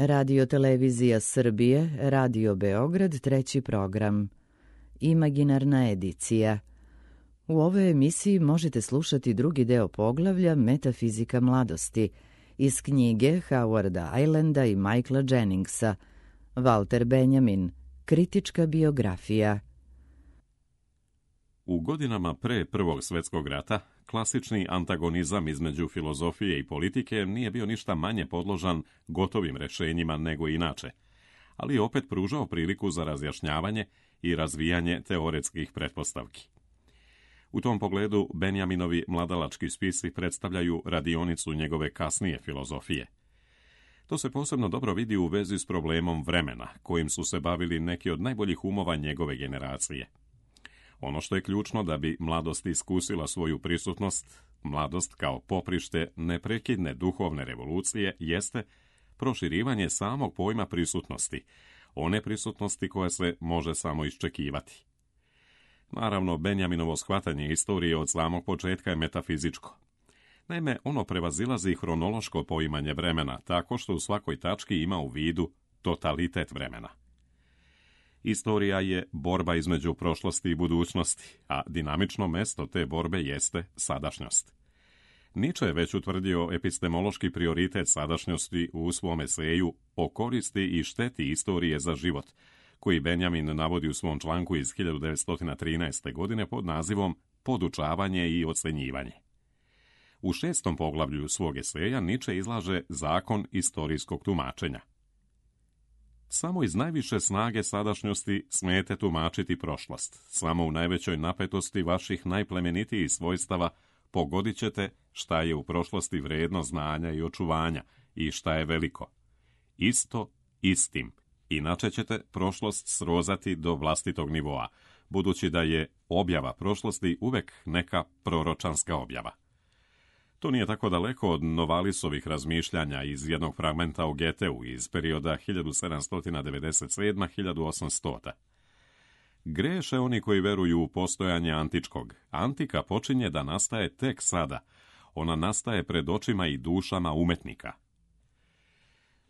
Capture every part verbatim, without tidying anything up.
Radio Televizija Srbije, Radio Beograd, treći program. Imaginarna edicija. U ovoj emisiji možete slušati drugi deo poglavlja Metafizika mladosti iz knjige Howarda Islanda i Michaela Jenningsa, Walter Benjamin, kritička biografija. U godinama pre Prvog svjetskog rata, klasični antagonizam između filozofije i politike nije bio ništa manje podložan gotovim rešenjima nego inače, ali je opet pružao priliku za razjašnjavanje i razvijanje teoretskih pretpostavki. U tom pogledu Benjaminovi mladalački spisi predstavljaju radionicu njegove kasnije filozofije. To se posebno dobro vidi u vezi s problemom vremena, kojim su se bavili neki od najboljih umova njegove generacije. Ono što je ključno da bi mladost iskusila svoju prisutnost, mladost kao poprište neprekidne duhovne revolucije, jeste proširivanje samog pojma prisutnosti, one prisutnosti koja se može samo iščekivati. Naravno, Benjaminovo shvatanje istorije od samog početka je metafizičko. Naime, ono prevazilazi hronološko poimanje vremena, tako što u svakoj tački ima u vidu totalitet vremena. Istorija je borba između prošlosti i budućnosti, a dinamično mesto te borbe jeste sadašnjost. Nietzsche je već utvrdio epistemološki prioritet sadašnjosti u svom eseju o koristi i šteti istorije za život, koji Benjamin navodi u svom članku iz hiljadu devetsto trinaeste. godine pod nazivom Podučavanje i ocenjivanje. U šestom poglavlju svog eseja Nietzsche izlaže zakon istorijskog tumačenja. Samo iz najviše snage sadašnjosti smijete tumačiti prošlost. Samo u najvećoj napetosti vaših najplemenitijih svojstava pogodit ćete šta je u prošlosti vredno znanja i očuvanja i šta je veliko. Isto istim. Inače ćete prošlost srozati do vlastitog nivoa, budući da je objava prošlosti uvek neka proročanska objava. To nije tako daleko od Novalisovih razmišljanja iz jednog fragmenta o Goetheu iz perioda hiljadu sedamsto devedeset sedme do hiljadu osamstotih. Greše oni koji veruju u postojanje antičkog. Antika počinje da nastaje tek sada. Ona nastaje pred očima i dušama umetnika.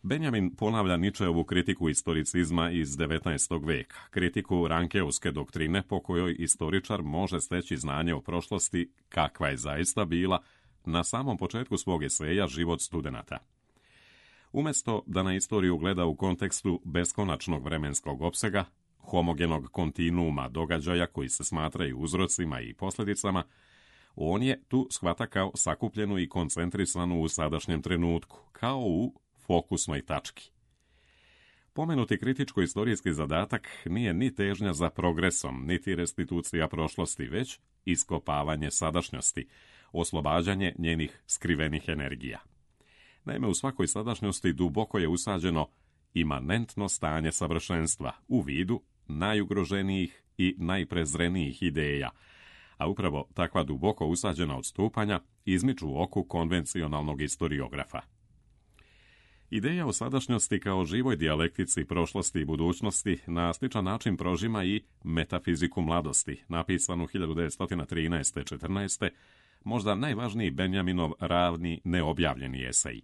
Benjamin ponavlja Nietzscheovu kritiku istoricizma iz devetnaestog veka, kritiku Rankeovske doktrine po kojoj istoričar može steći znanje o prošlosti kakva je zaista bila na samom početku svog eseja Život studenata. Umjesto da na istoriju gleda u kontekstu beskonačnog vremenskog opsega, homogenog kontinuuma događaja koji se smatraju uzrocima i posljedicama, on je tu shvata kao sakupljenu i koncentrisanu u sadašnjem trenutku, kao u fokusnoj tački. Pomenuti kritičko-istorijski zadatak nije ni težnja za progresom, niti restitucija prošlosti, već iskopavanje sadašnjosti, oslobađanje njenih skrivenih energija. Naime, u svakoj sadašnjosti duboko je usađeno imanentno stanje savršenstva u vidu najugroženijih i najprezrenijih ideja, a upravo takva duboko usađena odstupanja izmiču oku konvencionalnog historiografa. Ideja o sadašnjosti kao živoj dijalektici prošlosti i budućnosti na sličan način prožima i Metafiziku mladosti, napisanu hiljadu devetsto trinaeste do četrnaeste. možda najvažniji Benjaminov ravni neobjavljeni esej.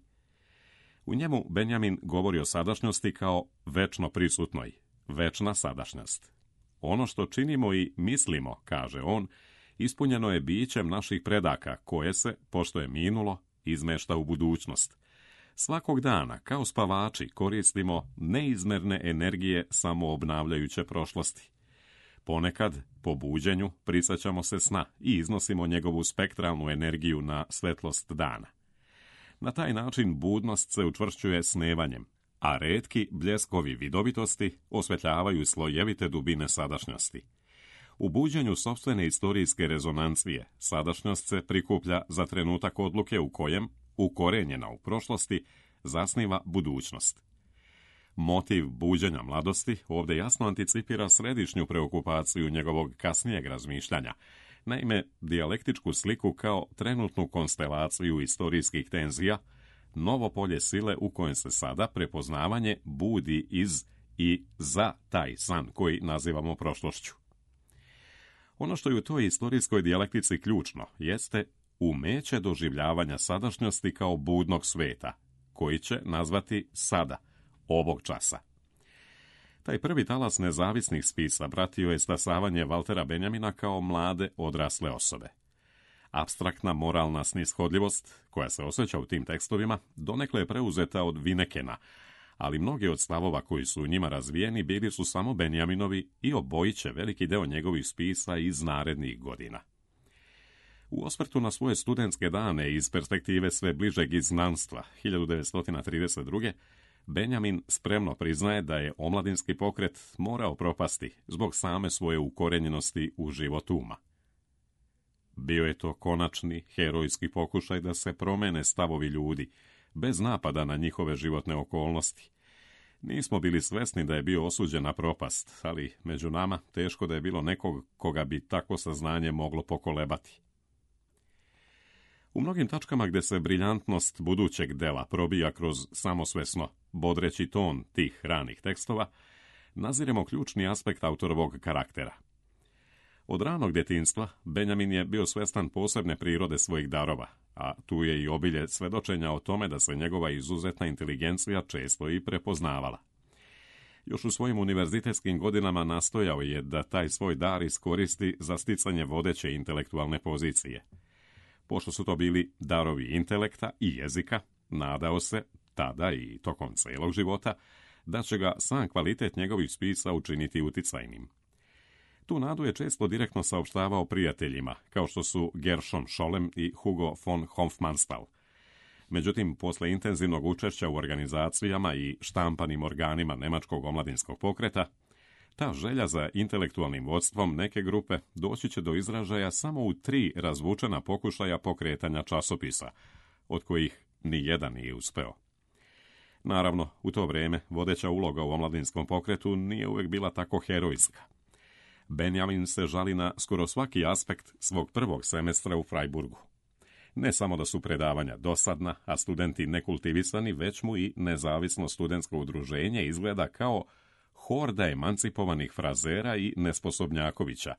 U njemu Benjamin govori o sadašnjosti kao večno prisutnoj, večna sadašnjost. Ono što činimo i mislimo, kaže on, ispunjeno je bićem naših predaka, koje se, pošto je minulo, izmešta u budućnost. Svakog dana, kao spavači, koristimo neizmerne energije samoobnavljajuće prošlosti. Ponekad, po buđenju, prisjećamo se sna i iznosimo njegovu spektralnu energiju na svetlost dana. Na taj način budnost se učvršćuje snevanjem, a retki bljeskovi vidovitosti osvetljavaju slojevite dubine sadašnjosti. U buđenju sopstvene istorijske rezonancije, sadašnjost se prikuplja za trenutak odluke u kojem, ukorenjena u prošlosti, zasniva budućnost. Motiv buđenja mladosti ovdje jasno anticipira središnju preokupaciju njegovog kasnijeg razmišljanja, naime dijalektičku sliku kao trenutnu konstelaciju istorijskih tenzija, novo polje sile u kojem se sada prepoznavanje budi iz i za taj san koji nazivamo prošlošću. Ono što je u toj istorijskoj dijalektici ključno jeste umeće doživljavanja sadašnjosti kao budnog sveta, koji će nazvati sada, ovog časa. Taj prvi talas nezavisnih spisa pratio je stasavanje Valtera Benjamina kao mlade odrasle osobe. Apstraktna moralna snishodljivost, koja se osjeća u tim tekstovima, donekle je preuzeta od Vinekena, ali mnogi od stavova koji su u njima razvijeni bili su samo Benjaminovi i obojiće veliki deo njegovih spisa iz narednih godina. U osvrtu na svoje studentske dane iz perspektive sve bližeg izgnanstva hiljadu devetsto trideset druge. Benjamin spremno priznaje da je omladinski pokret morao propasti zbog same svoje ukorenjenosti u život uma. Bio je to konačni herojski pokušaj da se promene stavovi ljudi, bez napada na njihove životne okolnosti. Nismo bili svesni da je bio osuđen na propast, ali među nama teško da je bilo nekog koga bi takvo saznanje moglo pokolebati. U mnogim tačkama gdje se briljantnost budućeg dela probija kroz samosvesno, bodreći ton tih ranih tekstova, naziremo ključni aspekt autorovog karaktera. Od ranog djetinjstva Benjamin je bio svjestan posebne prirode svojih darova, a tu je i obilje svedočenja o tome da se njegova izuzetna inteligencija često i prepoznavala. Još u svojim univerzitetskim godinama nastojao je da taj svoj dar iskoristi za sticanje vodeće intelektualne pozicije. Pošto su to bili darovi intelekta i jezika, nadao se, tada i tokom celog života, da će ga sam kvalitet njegovih spisa učiniti uticajnim. Tu nadu je često direktno saopštavao prijateljima, kao što su Gershom Scholem i Hugo von Hofmannsthal. Međutim, posle intenzivnog učešća u organizacijama i štampanim organima nemačkog omladinskog pokreta, ta želja za intelektualnim vodstvom neke grupe doći će do izražaja samo u tri razvučena pokušaja pokretanja časopisa, od kojih ni jedan nije uspeo. Naravno, u to vrijeme vodeća uloga u omladinskom pokretu nije uvijek bila tako herojska. Benjamin se žali na skoro svaki aspekt svog prvog semestra u Freiburgu. Ne samo da su predavanja dosadna, a studenti nekultivisani, već mu i nezavisno studentsko udruženje izgleda kao horda emancipovanih frazera i nesposobnjakovića,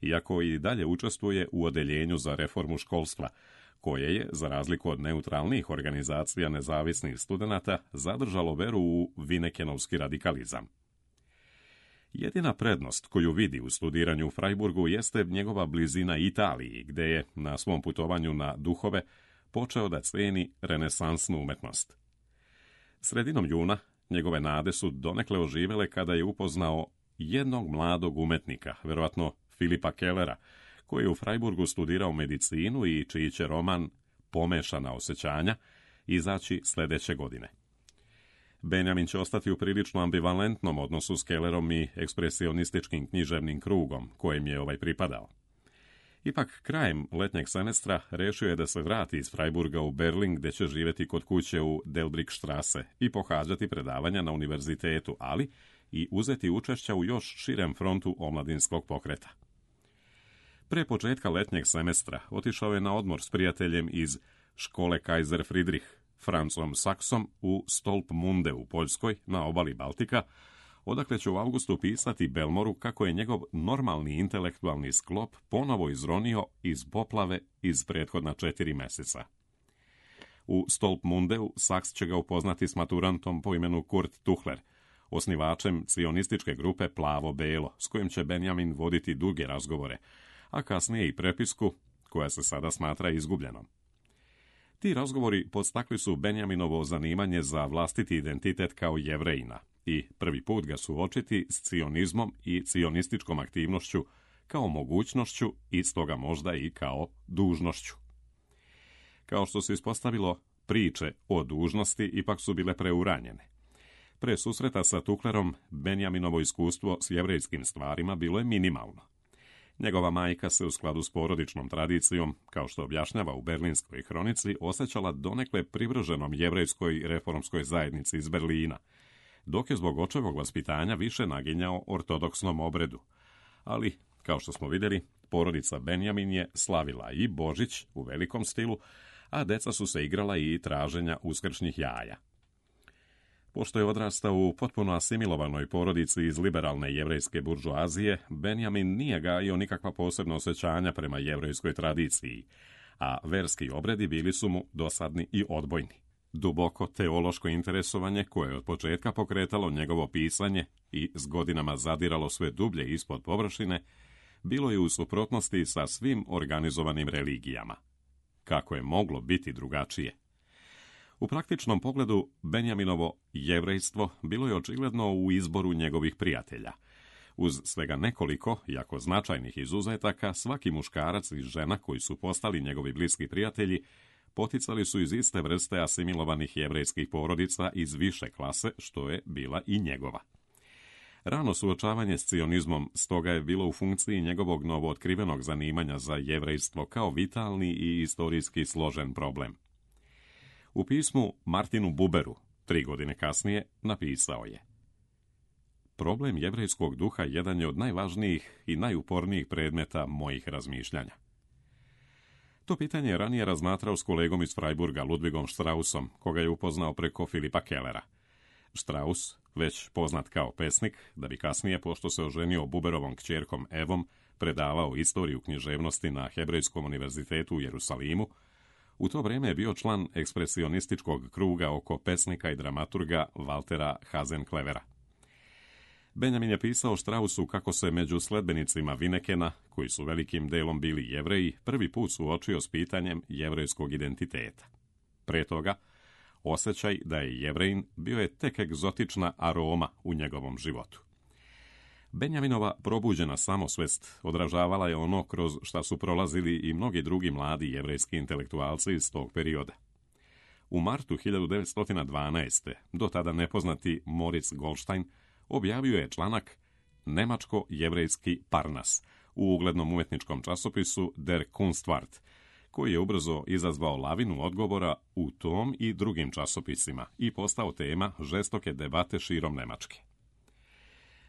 iako i dalje učestvuje u odeljenju za reformu školstva, koje je, za razliku od neutralnih organizacija nezavisnih studenata, zadržalo veru u Vinekenovski radikalizam. Jedina prednost koju vidi u studiranju u Freiburgu jeste njegova blizina Italiji, gde je na svom putovanju na duhove počeo da ceni renesansnu umetnost. Sredinom juna njegove nade su donekle oživele kada je upoznao jednog mladog umetnika, verovatno Filipa Kellera, koji je u Freiburgu studirao medicinu i čiji će roman Pomešana osjećanja izaći sljedeće godine. Benjamin će ostati u prilično ambivalentnom odnosu s Kellerom i ekspresionističkim književnim krugom kojem je ovaj pripadao. Ipak, krajem letnjeg semestra rešio je da se vrati iz Freiburga u Berlin, gdje će živjeti kod kuće u Delbrickstrasse i pohađati predavanja na univerzitetu, ali i uzeti učešća u još širem frontu omladinskog pokreta. Pre početka letnjeg semestra otišao je na odmor s prijateljem iz škole Kaiser Friedrich, Francom Saksom, u Stolpmunde u Poljskoj, na obali Baltika, odakle će u avgustu pisati Belmoru kako je njegov normalni intelektualni sklop ponovo izronio iz poplave iz prethodna četiri meseca. U Stolpmundeu Saks će ga upoznati s maturantom po imenu Kurt Tuchler, osnivačem cionističke grupe Plavo-Belo, s kojim će Benjamin voditi duge razgovore, a kasnije i prepisku, koja se sada smatra izgubljenom. Ti razgovori podstakli su Benjaminovo zanimanje za vlastiti identitet kao Jevrejina i prvi put ga suočiti s cionizmom i cionističkom aktivnošću kao mogućnošću i stoga možda i kao dužnošću. Kao što se ispostavilo, priče o dužnosti ipak su bile preuranjene. Pre susreta sa Tuchlerom, Benjaminovo iskustvo s jevrejskim stvarima bilo je minimalno. Njegova majka se u skladu s porodičnom tradicijom, kao što objašnjava u Berlinskoj hronici, osjećala donekle privrženom jevrejskoj reformskoj zajednici iz Berlina, dok je zbog očevog vaspitanja više naginjao ortodoksnom obredu. Ali, kao što smo vidjeli, porodica Benjamin je slavila i Božić u velikom stilu, a deca su se igrala i traženja uskršnjih jaja. Pošto je odrastao u potpuno asimilovanoj porodici iz liberalne jevrejske buržoazije, Benjamin nije gajio nikakva posebna osjećanja prema jevrejskoj tradiciji, a verski obredi bili su mu dosadni i odbojni. Duboko teološko interesovanje, koje je od početka pokretalo njegovo pisanje i s godinama zadiralo sve dublje ispod površine, bilo je u suprotnosti sa svim organizovanim religijama. Kako je moglo biti drugačije? U praktičnom pogledu, Benjaminovo jevrejstvo bilo je očigledno u izboru njegovih prijatelja. Uz svega nekoliko, jako značajnih izuzetaka, svaki muškarac i žena koji su postali njegovi bliski prijatelji poticali su iz iste vrste asimilovanih jevrejskih porodica iz više klase, što je bila i njegova. Rano suočavanje s cionizmom stoga je bilo u funkciji njegovog novootkrivenog zanimanja za jevrejstvo kao vitalni i istorijski složen problem. U pismu Martinu Buberu, tri godine kasnije, napisao je: problem jevrejskog duha jedan je od najvažnijih i najupornijih predmeta mojih razmišljanja. To pitanje je ranije razmatrao s kolegom iz Freiburga, Ludwigom Straussom, koga je upoznao preko Filipa Kellera. Strauss, već poznat kao pesnik, da bi kasnije, pošto se oženio Buberovom kćerkom Evom, predavao istoriju književnosti na Hebrejskom univerzitetu u Jerusalimu, u to vrijeme je bio član ekspresionističkog kruga oko pesnika i dramaturga Waltera Hasenklevera. Benjamin je pisao Straussu kako se među sledbenicima Vinekena, koji su velikim delom bili Jevreji, prvi put suočio s pitanjem jevrejskog identiteta. Pre toga, osjećaj da je Jevrejin bio je tek egzotična aroma u njegovom životu. Benjaminova probuđena samosvest odražavala je ono kroz šta su prolazili i mnogi drugi mladi jevrejski intelektualci iz tog perioda. U martu hiljadu devetsto dvanaeste. do tada nepoznati Moritz Goldstein objavio je članak Nemačko-jevrejski Parnas u uglednom umetničkom časopisu Der Kunstwart, koji je ubrzo izazvao lavinu odgovora u tom i drugim časopisima i postao tema žestoke debate širom Nemačke.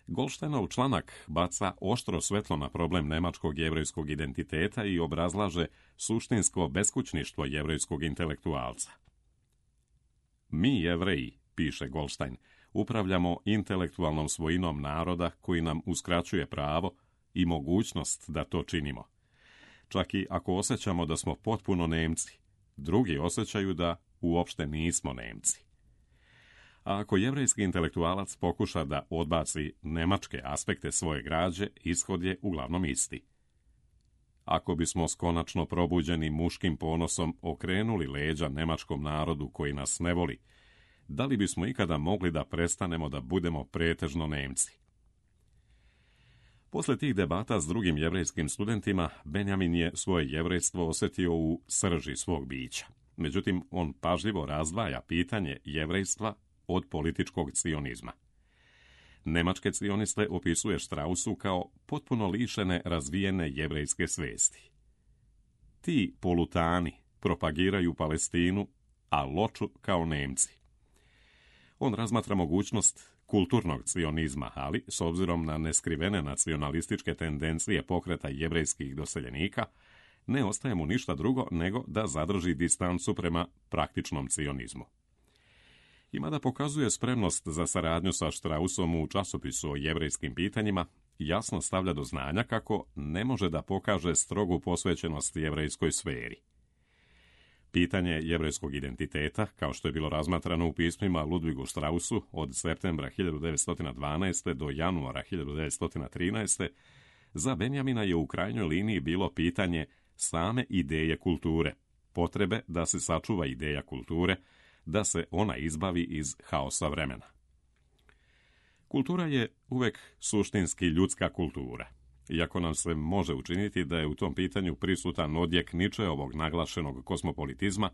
Goldsteinov članak baca oštro svetlo na problem nemačkog jevrejskog identiteta i obrazlaže suštinsko beskućništvo jevrejskog intelektualca. Mi, Jevreji, piše Goldstein, upravljamo intelektualnom svojinom naroda koji nam uskraćuje pravo i mogućnost da to činimo. Čak i ako osjećamo da smo potpuno Nemci, drugi osjećaju da uopšte nismo Nemci. A ako jevrejski intelektualac pokuša da odbaci nemačke aspekte svoje građe, ishod je uglavnom isti. Ako bismo s konačno probuđenim muškim ponosom okrenuli leđa nemačkom narodu koji nas ne voli, da li bismo ikada mogli da prestanemo da budemo pretežno Nemci? Posle tih debata s drugim jevrejskim studentima, Benjamin je svoje jevrejstvo osjetio u srži svog bića. Međutim, on pažljivo razdvaja pitanje jevrejstva od političkog cionizma. Nemačke cioniste opisuje Straussu kao potpuno lišene razvijene jevrejske svesti. Ti polutani propagiraju Palestinu, a loču kao Nemci. On razmatra mogućnost kulturnog cionizma, ali s obzirom na neskrivene nacionalističke tendencije pokreta jevrejskih doseljenika, ne ostaje mu ništa drugo nego da zadrži distancu prema praktičnom cionizmu. Ima da pokazuje spremnost za saradnju sa Straussom u časopisu o jevrejskim pitanjima, jasno stavlja do znanja kako ne može da pokaže strogu posvećenost jevrejskoj sferi. Pitanje jevrejskog identiteta, kao što je bilo razmatrano u pismima Ludwigu Straussu od septembra hiljadu devetsto dvanaeste. do januara hiljadu devetsto trinaeste. za Benjamina je u krajnjoj liniji bilo pitanje same ideje kulture, potrebe da se sačuva ideja kulture, da se ona izbavi iz haosa vremena. Kultura je uvek suštinski ljudska kultura. Iako nam se može učiniti da je u tom pitanju prisutan odjek Ničeovog naglašenog kosmopolitizma,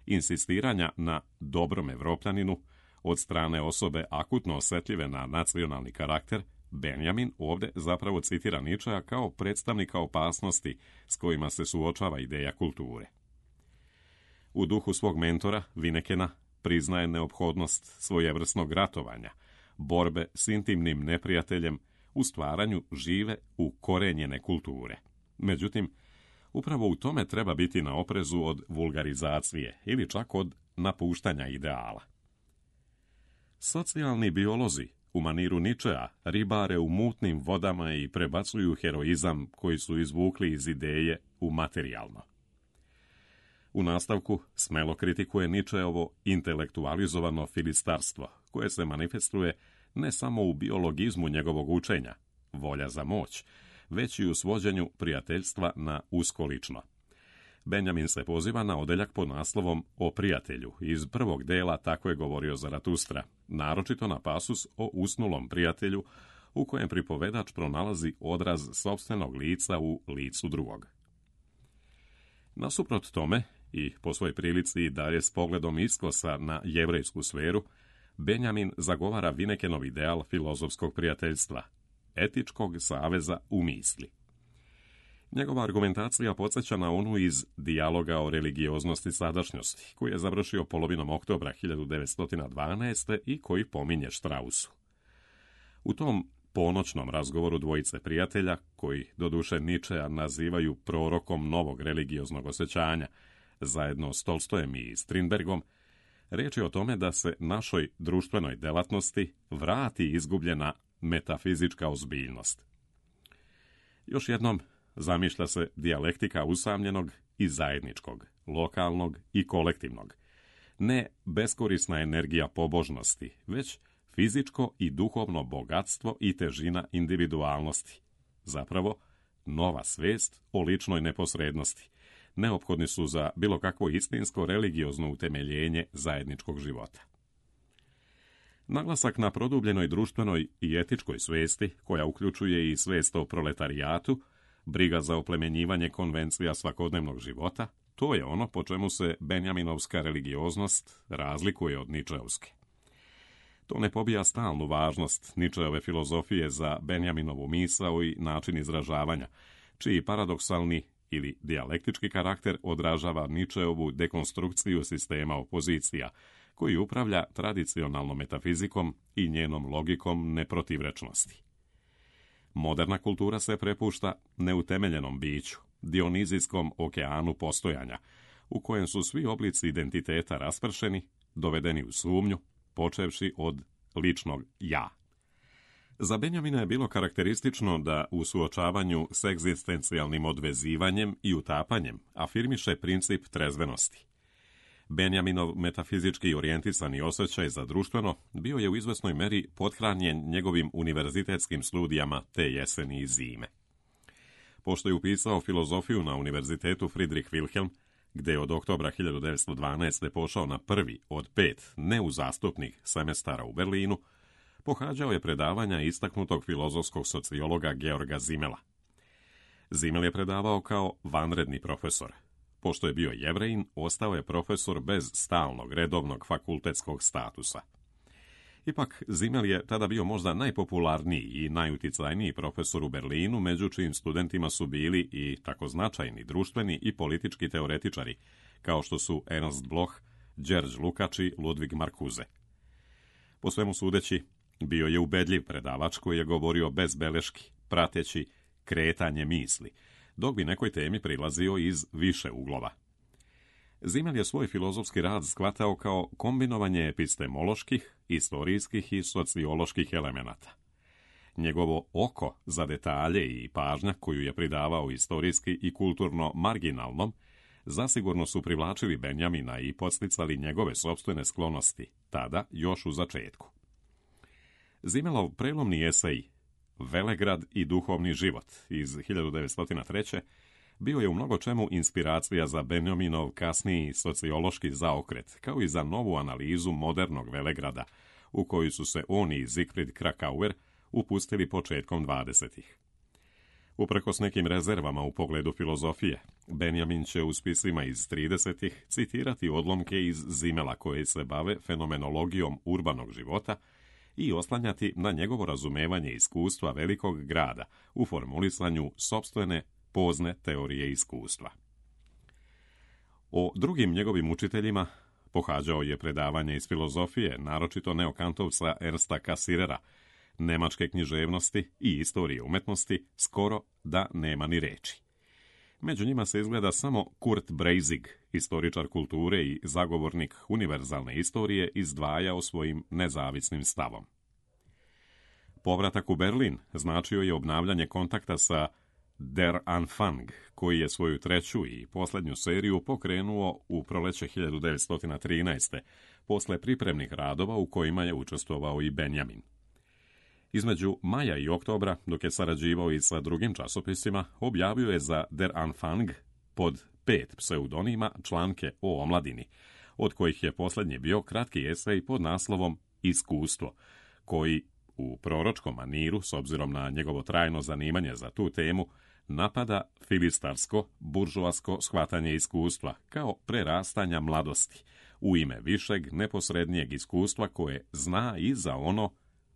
insistiranja na dobrom Evropljaninu od strane osobe akutno osjetljive na nacionalni karakter, Benjamin ovdje zapravo citira Ničea kao predstavnika opasnosti s kojima se suočava ideja kulture. U duhu svog mentora, Vinekena, priznaje neophodnost svojevrsnog ratovanja, borbe s intimnim neprijateljem u stvaranju žive ukorenjene kulture. Međutim, upravo u tome treba biti na oprezu od vulgarizacije ili čak od napuštanja ideala. Socijalni biolozi u maniru Ničea ribare u mutnim vodama i prebacuju heroizam koji su izvukli iz ideje u materijalno. U nastavku smelo kritikuje Nietzscheovo intelektualizovano filistarstvo, koje se manifestuje ne samo u biologizmu njegovog učenja, volja za moć, već i u svođenju prijateljstva na usko lično. Benjamin se poziva na odeljak pod naslovom O prijatelju. Iz prvog dela Tako je govorio Zaratustra, naročito na pasus o usnulom prijatelju, u kojem pripovedač pronalazi odraz sopstvenog lica u licu drugog. Nasuprot tome, i po svojoj prilici i dalje s pogledom iskosa na jevrejsku sferu, Benjamin zagovara Vinekenov ideal filozofskog prijateljstva, etičkog saveza u misli. Njegova argumentacija podsjeća na onu iz Dijaloga o religioznosti sadašnjosti, koji je završio polovinom oktobra hiljadu devetsto dvanaeste. i koji pominje Strausu. U tom ponoćnom razgovoru dvojice prijatelja, koji doduše Nietzschea nazivaju prorokom novog religioznog osjećanja, zajedno s Tolstojem i Strindbergom, riječ je o tome da se našoj društvenoj delatnosti vrati izgubljena metafizička ozbiljnost. Još jednom zamišlja se dijalektika usamljenog i zajedničkog, lokalnog i kolektivnog. Ne beskorisna energija pobožnosti, već fizičko i duhovno bogatstvo i težina individualnosti. Zapravo, nova svest o ličnoj neposrednosti. Neophodni su za bilo kakvo istinsko religiozno utemeljenje zajedničkog života. Naglasak na produbljenoj društvenoj i etičkoj svesti, koja uključuje i svest o proletarijatu, briga za oplemenjivanje konvencija svakodnevnog života, to je ono po čemu se benjaminovska religioznost razlikuje od ničeovske. To ne pobija stalnu važnost Nietzscheove filozofije za Benjaminovu misao i način izražavanja, čiji paradoksalni ili dijalektički karakter odražava Nietzscheovu dekonstrukciju sistema opozicija, koji upravlja tradicionalnom metafizikom i njenom logikom neprotivrečnosti. Moderna kultura se prepušta neutemeljenom biću, dionizijskom okeanu postojanja, u kojem su svi oblici identiteta raspršeni, dovedeni u sumnju, počevši od ličnog ja. Za Benjamina je bilo karakteristično da u suočavanju s egzistencijalnim odvezivanjem i utapanjem afirmiše princip trezvenosti. Benjaminov metafizički orijentisani osjećaj za društveno bio je u izvesnoj meri pothranjen njegovim univerzitetskim studijama te jeseni i zime. Pošto je upisao filozofiju na univerzitetu Friedrich Wilhelm, gde je od oktobra hiljadu devetsto dvanaeste. pošao na prvi od pet neuzastupnih semestara u Berlinu, pohađao je predavanja istaknutog filozofskog sociologa Georga Simmela. Simmel je predavao kao vanredni profesor. Pošto je bio Jevrejin, ostao je profesor bez stalnog redovnog fakultetskog statusa. Ipak, Simmel je tada bio možda najpopularniji i najuticajniji profesor u Berlinu, među čijim studentima su bili i tako značajni društveni i politički teoretičari, kao što su Ernst Bloch, George Lukács i Ludwig Marcuse. Po svemu sudeći, bio je ubedljiv predavač koji je govorio bez beleški, prateći kretanje misli, dok bi nekoj temi prilazio iz više uglova. Simmel je svoj filozofski rad shvatao kao kombinovanje epistemoloških, istorijskih i socioloških elemenata. Njegovo oko za detalje i pažnja koju je pridavao istorijski i kulturno marginalnom, zasigurno su privlačili Benjamina i podsticali njegove sopstvene sklonosti, tada još u začetku. Simmelov prelomni esej Velegrad i duhovni život iz hiljadu devetsto treće. bio je u mnogo čemu inspiracija za Benjaminov kasniji sociološki zaokret, kao i za novu analizu modernog Velegrada, u koju su se on i Siegfried Kracauer upustili početkom dvadesetih. Uprkos nekim rezervama u pogledu filozofije, Benjamin će u spisima iz tridesetih citirati odlomke iz Simmela koje se bave fenomenologijom urbanog života i oslanjati na njegovo razumevanje iskustva velikog grada u formulisanju sopstvene pozne teorije iskustva. O drugim njegovim učiteljima pohađao je predavanje iz filozofije, naročito neokantovca Ernsta Cassirera, nemačke književnosti i istorije umetnosti, skoro da nema ni reči. Među njima se izgleda samo Kurt Breizig, istoričar kulture i zagovornik univerzalne istorije, izdvajao svojim nezavisnim stavom. Povratak u Berlin značio je obnavljanje kontakta sa Der Anfang, koji je svoju treću i posljednju seriju pokrenuo u proleće hiljadu devetsto trinaeste. posle pripremnih radova u kojima je učestvovao i Benjamin. Između maja i oktobra, dok je sarađivao i sa drugim časopisima, objavio je za Der Anfang pod pet pseudonima članke o omladini, od kojih je posljednji bio kratki esej pod naslovom Iskustvo, koji u proročkom maniru, s obzirom na njegovo trajno zanimanje za tu temu, napada filistarsko, buržoasko shvatanje iskustva kao prerastanja mladosti, u ime višeg, neposrednijeg iskustva koje zna i za ono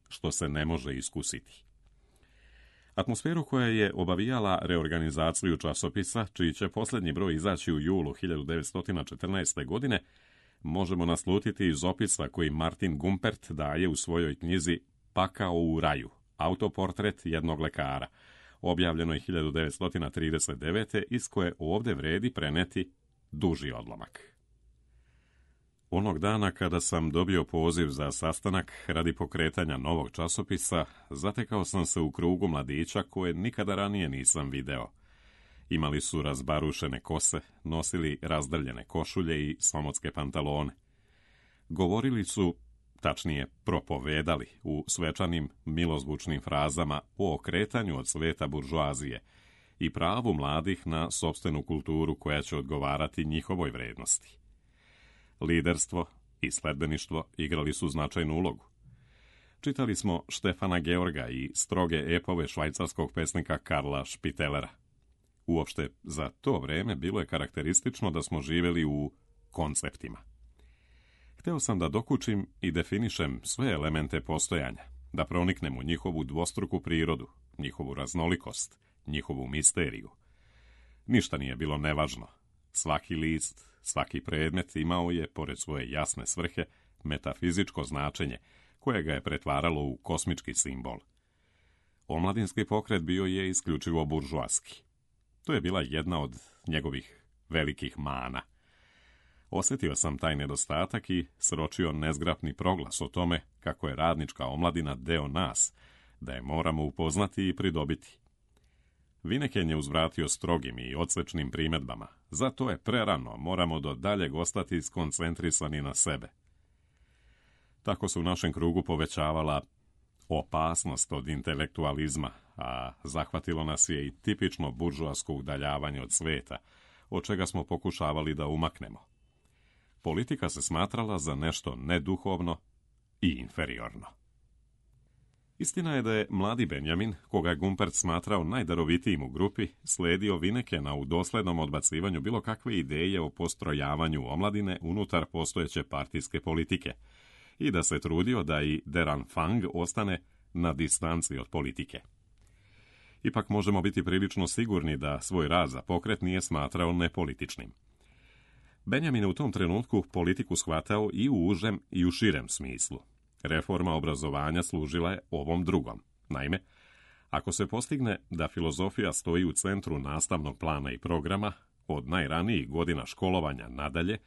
što se ne može iskusiti. Atmosferu koja je obavijala reorganizaciju časopisa, čiji će posljednji broj izaći u julu hiljadu devetsto četrnaeste. godine, možemo naslutiti iz opisa koji Martin Gumpert daje u svojoj knjizi Pakao u raju, autoportret jednog lekara, objavljeno je hiljadu devetsto trideset devete. iz koje ovdje vredi preneti duži odlomak. Onog dana kada sam dobio poziv za sastanak radi pokretanja novog časopisa, zatekao sam se u krugu mladića koje nikada ranije nisam video. Imali su razbarušene kose, nosili razdrljene košulje i samotske pantalone. Govorili su, tačnije propovedali, u svečanim milozvučnim frazama o okretanju od sveta buržoazije i pravu mladih na sopstvenu kulturu koja će odgovarati njihovoj vrednosti. Liderstvo i sledbeništvo igrali su značajnu ulogu. Čitali smo Štefana Georga i stroge epove švajcarskog pesnika Karla Špitelera. Uopšte, za to vreme bilo je karakteristično da smo živjeli u konceptima. Hteo sam da dokučim i definišem sve elemente postojanja, da proniknem u njihovu dvostruku prirodu, njihovu raznolikost, njihovu misteriju. Ništa nije bilo nevažno. Svaki list, svaki predmet imao je, pored svoje jasne svrhe, metafizičko značenje, koje ga je pretvaralo u kosmički simbol. Omladinski pokret bio je isključivo buržoaski. To je bila jedna od njegovih velikih mana. Osjetio sam taj nedostatak i sročio nezgrapni proglas o tome kako je radnička omladina deo nas, da je moramo upoznati i pridobiti. Vineken je uzvratio strogim i odsečnim primjedbama. Zato je prerano, moramo do daljeg ostati skoncentrisani na sebe. Tako se u našem krugu povećavala opasnost od intelektualizma, a zahvatilo nas je i tipično buržoasko udaljavanje od sveta, od čega smo pokušavali da umaknemo. Politika se smatrala za nešto neduhovno i inferiorno. Istina je da je mladi Benjamin, koga je Gumpert smatrao najdarovitijim u grupi, sledio Vinekena u doslednom odbacivanju bilo kakve ideje o postrojavanju omladine unutar postojeće partijske politike i da se trudio da i Der Anfang ostane na distanci od politike. Ipak možemo biti prilično sigurni da svoj rad za pokret nije smatrao nepolitičnim. Benjamin je u tom trenutku politiku shvatao i u užem i u širem smislu. Reforma obrazovanja služila je ovom drugom. Naime, ako se postigne da filozofija stoji u centru nastavnog plana i programa, od najranijih godina školovanja nadalje,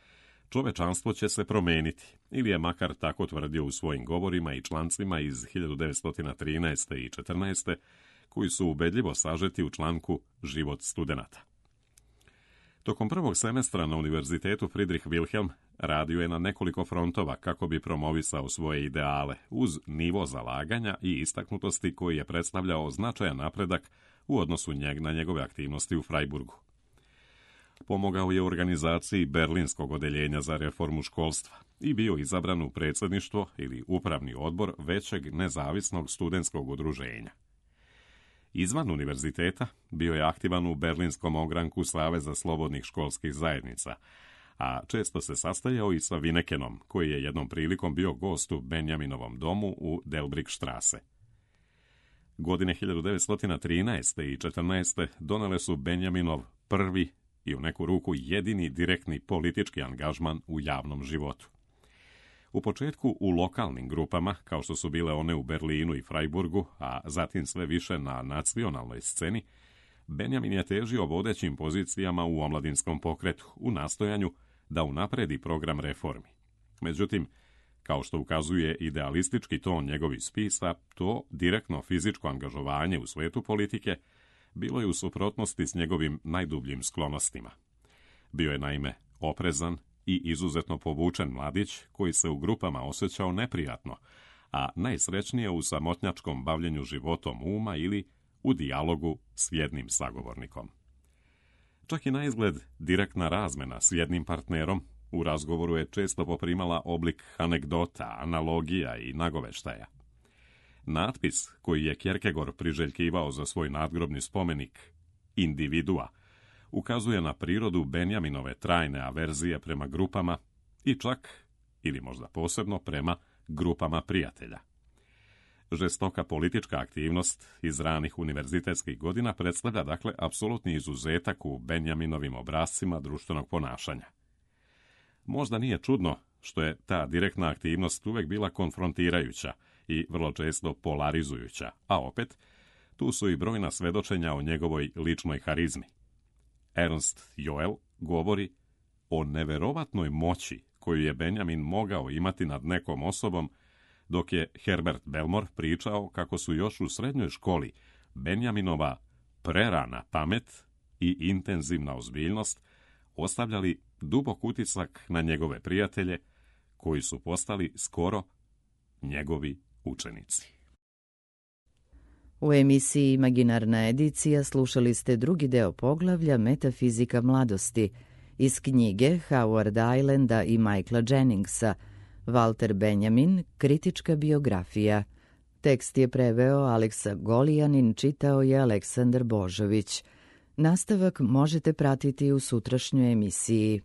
čovečanstvo će se promeniti, ili je makar tako tvrdio u svojim govorima i člancima iz hiljadu devetsto trinaeste i četrnaeste, koji su ubedljivo sažeti u članku Život studenata. Tokom prvog semestra na Univerzitetu Friedrich Wilhelm radio je na nekoliko frontova kako bi promovisao svoje ideale, uz nivo zalaganja i istaknutosti koji je predstavljao značajan napredak u odnosu njeg na njegove aktivnosti u Freiburgu. Pomogao je u organizaciji Berlinskog odeljenja za reformu školstva i bio izabran u predsjedništvo ili upravni odbor većeg nezavisnog studentskog udruženja. Izvan univerziteta bio je aktivan u berlinskom ogranku Saveza slobodnih školskih zajednica, a često se sastajao i sa Vinekenom, koji je jednom prilikom bio gost u Benjaminovom domu u Delbrickstrasse. Godine hiljadu devetsto trinaeste i četrnaeste donele su Benjaminov prvi i u neku ruku jedini direktni politički angažman u javnom životu. U početku u lokalnim grupama, kao što su bile one u Berlinu i Freiburgu, a zatim sve više na nacionalnoj sceni, Benjamin je težio vodećim pozicijama u omladinskom pokretu u nastojanju da unapredi program reformi. Međutim, kao što ukazuje idealistički ton njegovih spisa, to direktno fizičko angažovanje u svetu politike bilo je u suprotnosti s njegovim najdubljim sklonostima. Bio je naime oprezan i izuzetno povučen mladić koji se u grupama osjećao neprijatno, a najsrećnije u samotnjačkom bavljenju životom uma ili u dijalogu s jednim sagovornikom. Čak i na izgled direktna razmena s jednim partnerom u razgovoru je često poprimala oblik anegdota, analogija i nagoveštaja. Natpis koji je Kierkegaard priželjkivao za svoj nadgrobni spomenik, individua, ukazuje na prirodu Benjaminove trajne averzije prema grupama i čak, ili možda posebno, prema grupama prijatelja. Žestoka politička aktivnost iz ranih univerzitetskih godina predstavlja dakle apsolutni izuzetak u Benjaminovim obrascima društvenog ponašanja. Možda nije čudno što je ta direktna aktivnost uvek bila konfrontirajuća i vrlo često polarizujuća, a opet, tu su i brojna svedočenja o njegovoj ličnoj harizmi. Ernst Joel govori o neverovatnoj moći koju je Benjamin mogao imati nad nekom osobom, dok je Herbert Belmore pričao kako su još u srednjoj školi Benjaminova prerana pamet i intenzivna ozbiljnost ostavljali dubok utisak na njegove prijatelje, koji su postali skoro njegovi učenici. U emisiji Imaginarna edicija slušali ste drugi deo poglavlja Metafizika mladosti iz knjige Howard Islanda i Michaela Jenningsa Walter Benjamin, kritička biografija. Tekst je preveo Aleksa Golijanin, čitao je Aleksandar Božović. Nastavak možete pratiti u sutrašnjoj emisiji.